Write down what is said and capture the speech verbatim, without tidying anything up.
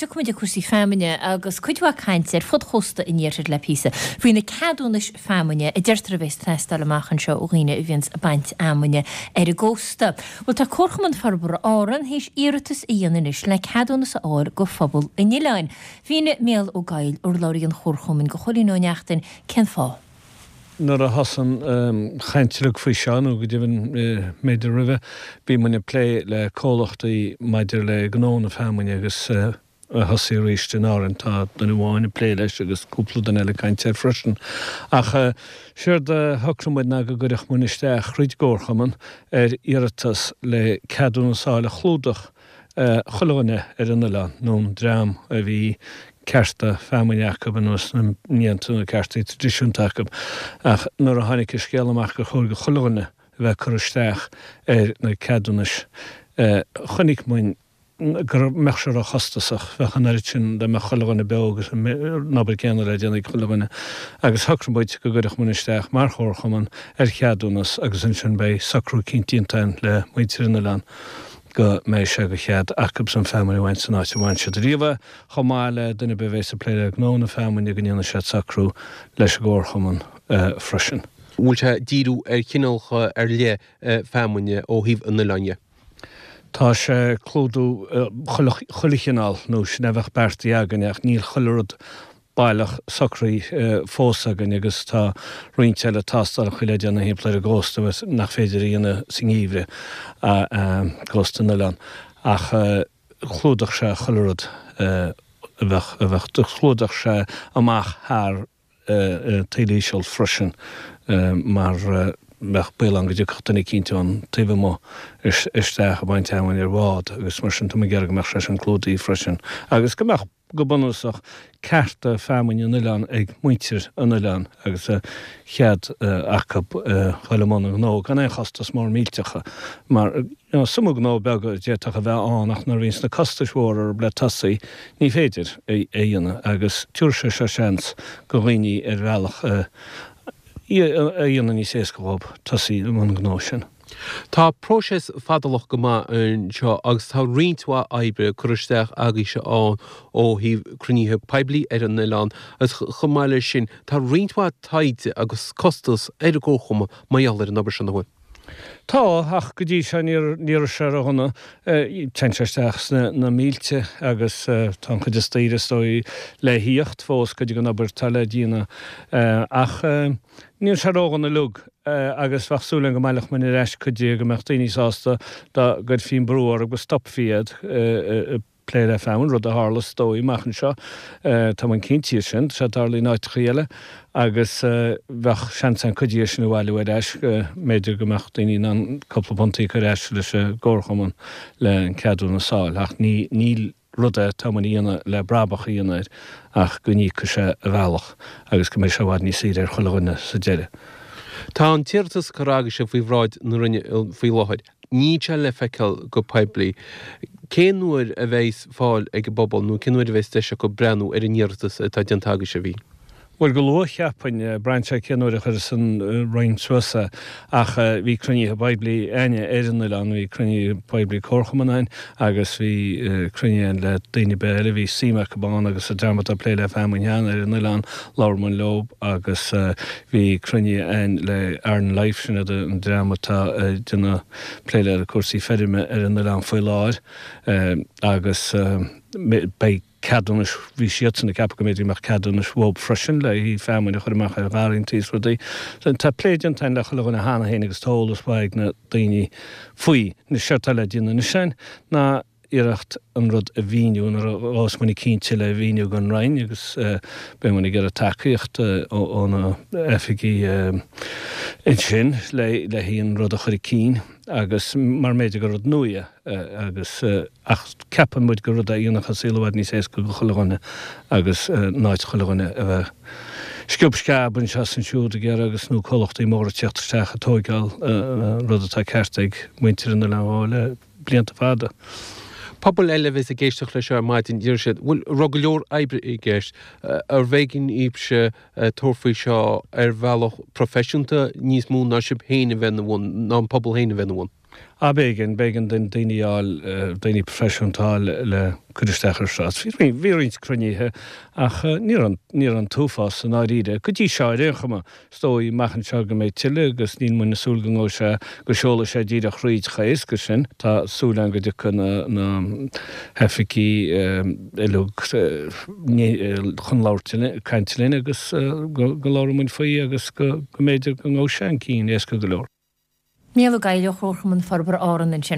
Tiocfaidh muid ar cúrsaí feamainne agus cuid mhaith cainte ar fud chósta an iarthair le píosa faoi na ceadúnais feamainne a deirtear a bheas ag teastáil amach anseo ó dhaoine a bhíonns ag baint fheamainne ar an gcósta. Bhuel tá Comharchumann Forbartha Árann théis iarratas a dhéanamh anois le ceadúnas a fháil go phobal an oileáin. Mhínigh Mícheál Ó Gaill, urlabhraí an Chomharchumainn do Chóilín Ó Neachtain, cén fáth. Nuair a thosaigh an chaint uilig faoi seo, nó go deimhin b'fhéidir roimhe, bhí muid ag plé le comhlachtaí maidir le gnó na feamainne agus a thosaí arís in Árainn. Tá duine amháin ag plé leis agus cúpla duine eile ag caint air freisin. Ach séard a shocraigh muid ná go gcuirfeadh muid isteach thríd an gComharchumann ar iarratas le ceadúnas a fháil a chlúdach chuile dhuine ar an oileán, nó an dream a bhí cearta feamainne acu anuas na mblianta, nó cearta traidisiúnta acu. Ach nuair a tháinig an scéal amach gur chóir do chuile dhuine a bheith ag cur isteach ar na ceadúnais, chonaic muid go mbeadh sé róchostasach, bheadh an oiread sin dá mbeadh chuile dhuine beo agus an obair céanna le déanamh ag chuile dhuine. Agus shocraigh muid go gcuirfeadh muid isteach mar chomharchumann ar cheadúnas agus ansin beidh socrú eicínt déanta againn le muintir an oileáin go mbeidh sé de chead acubsan feamainn a bhaint san áit a bhain siad riamh é, chomh maith le duine ar bith a bheas ag plé le gnó na feamainne go ndéanfaidh siad socrú leis an gcomharchumann freisin. Bhfuil sé ag díriú ar chineálacha ar leith feamainne ó thaobh an oileáin dhe? Tá sé ag clúdú chuile chineál, nó sin a bheadh beartaithe againn, ach níl chuile rud baileach socraithe fós againn agus tá roinnt eile tástálacha le déanamh thimpeall ar an gcósta nach féidir a dhéanamh sa ngeimhreadh, cósta an oileáin. Ach chlúdódh sé chuile rud a bheadh, a bheadh, chlúdódh sé amach thar taoille íseal freisin mar bheadh baol ann go dtiocfadh duine eicínt ón taobh amuigh isteach ag baint fheamainn ar bhád agus mar sin tá muid ag iarraidh go mbeadh sé sin clúdaithe freisin agus go mbeadh go bunúsach cearta feamainne an oileáin ag muintir an oileáin agus cead acu dhul i mbun an ghnó gan aon chostas mór millteacha mar you know suim gnó beag a d'fhéadfadh a bheith ann ach nuair a bhíonns na costais mhóra orthu le tosaí ní féidir é a dhéanamh agus tabharfaidh sé seo seans go dhaoine ar bhealach a dhéanamh níos éasca dhóibh tosaí i mbun an ghnó sin. Tá próiseas fadálach go maith anseo agus tá roinnt mhaith oibre curtha isteach agaibhse ann ó thaobh cruinnithe poiblí ar an oileán agus chomh maith leis sin tá roinnt mhaith taighde agus costas ar an gComharchumann mar gheall ar an obair seo, nach bhfuil? Tá, ach go dtí seo ní raibh sé ródhona. Téann sé isteach sna na mílte agus tá an chuid is daoire is dóigh le híocht fós, cuid den obair atá le déanamh. Ach níl sé ródhona uilig agus bheadh súil agam go mbaileodh muid ar ais cuid de, go mbeadh daoine sásta dá gcuirfí an brú orthu go stopfaí iad ag plé le feamainn, rud a tharlós is dóigh amach anseo. Tá muid cinnte de sin, tá sé tarlaithe in áiteachaí eile agus bheadh seans ann cuid de sin a bhailiú ar ais, go mb'fhéidir go mbeadh daoine in ann cúpla punt a íoc ar ais leis an gcomharchumann le an ceadúnas a fháil. Ach ní, níl rud é atá muid a dhéanamh le brabach a dhéanamh air ach go n-íocfaidh sé a bhealach agus go mbeidh sé i bhfad níos saoire ar chuile dhuine sa deireadh. Tá an t-iarratas curtha agaibhse faoi bhráid na Roinne faoi láthair. Níl sé le feiceáil go poiblí. Cén uair a bheidhs fáil ag an bpobal nó cén uair a bheidhs deis acu breathnú ar an iarratas atá déanta agaibhse, a Mhíchíl? Bhuel, go luath, cheapfainn. Braitheann sé cén uair a chuireas an Roinn suas é. Ach bhí cruinnithe poiblí a'inne ar an oileán, bhí cruinnithe poiblí comharchumann a'inn agus bhí cruinnithe a'inn le daoine ar bith eile a bhí suim acu ann agus an dream atá ag plé le feamainn cheana ar an oileán, labhair muid leo agus bhí cruinnithe a'inn le Aran Life, sin iad an dream atá ag déanamh plé le cúrsaí feirme ar an oileán faoi láthair agus beidh ceadúnais, bhí siadsan ag ceapadh go mb'fhéidir go mbeadh ceadúnais uathu freisin le haghaidh feamainn a chur amach ar gharrantaí is rudaí. Tá plé déanta againn le chuile dhuine cheana féin agus tá eolas mhaith ag na daoine faoi. Anois séard atá le déanamh anois againn ná iarracht an rud a mhíniú nuair a bheas muid cinnte le mhíniú don Roinn agus beidh muid ag iarraidh tacaíocht ó na oifigigh ansin le le haghaidh an rud a chur i cinn agus mar mb'fhéidir gur rud nua é agus ach ceapann muid gur rud é a dhéanfadh an saol i bhfad níos éasca do chuile dhuine agus in áit chuile dhuine a bheith sciob sceab anseo is ansiúd ag iarraidh agus nó comhlachtaí móra ag tíocht isteach ag tóigeáil an rud atá ceart ag muintir an oileáin dhó le blianta fada. Pobal eile a bheas ag éisteacht leis seo ar maidin, déarfaidh siad, bhuel, an raibh go leor oibre i gceist, arbh éigean daoibhse tabhairt faoi seo ar bhealach proifisiúnta níos mó ná sibh féin a bheith ina bhun, ná an pobal féin a bheith ina bhun? Ah b'éigean, b'éigean duinn daoine a fháil, daoine proifisiúnta a fháil le cur isteach ar seo. Bhí, bhí roinnt cruinnithe ach ní raibh, ní raibh an t-uafás i ndáiríre, go dtí seo ar aon chuma. Is dóigh amach anseo go mbeidh tuilleadh agus níl muid ag súil go ngabhfaidh sé, go seolfaidh sé díreach thríd chomh héasca sin. Tá súil againn go dtiocfaidh na, na hoifigigh uilig chun labhairt linn, caint linn agus go, go labhróidh muid faoi agus go, go mb'fhéidir go ngabhfaidh sé chun cinn éasca go leor. Mícheál Ó Gabhla ó Chomharchumann Forbartha Árann ansin.